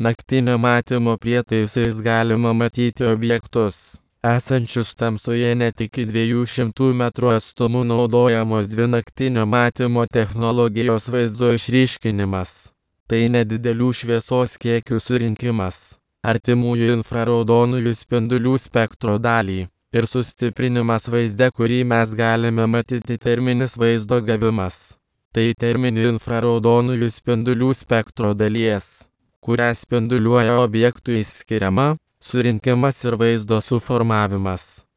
Naktinio matymo prietaisais galima matyti objektus, esančius tamsoje net iki 200 metrų atstumu. Naudojamos dvi naktinio matymo technologijos: vaizdo išryškinimas. Tai nedidelių šviesos kiekių surinkimas, artimųjų infraraudonųjų spindulių spektro dalį, ir sustiprinimas vaizde, kurį mes galime matyti. Terminis vaizdo gavimas. Tai terminį infraraudonųjų spindulių spektro dalies, kurią spinduliuoja objektui, skiriama, surinkimas ir vaizdo suformavimas.